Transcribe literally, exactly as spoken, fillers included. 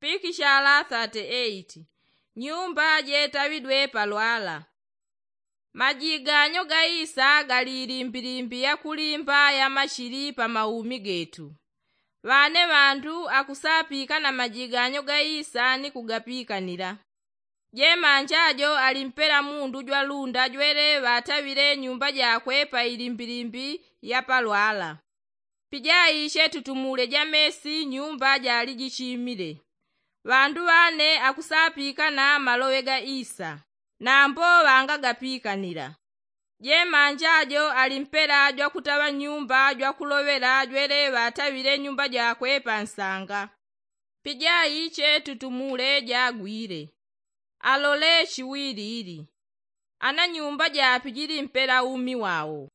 Pikishala thirty eight. Nyumba jetawidwe palwala. Majiganyo ga isa gali ilimbilimbi yakulimba ya mashili pa maumi getu. Ŵane ŵandu akusapika na majiganyo ga isa ni kugapikanila. Jemanja jo ali mpela mundu jwalunda jwele ŵataŵile nyumba jakwe pa ilimbilimbi ya palwala. Pijaiche tutumule ja mesi nyumba jali jichimile. Ŵandu ŵane akusapika na maloŵe ga isa, nambo ŵangagapikanila. Jemanja jo ali mpela jwakutaŵa nyumba jwakuloŵela jwele ŵataŵile nyumba jakwe pa nsanga. Pijaiche tutumule jagwile. Alole chiwilili. Ana nyumba japijili mpela umi wao.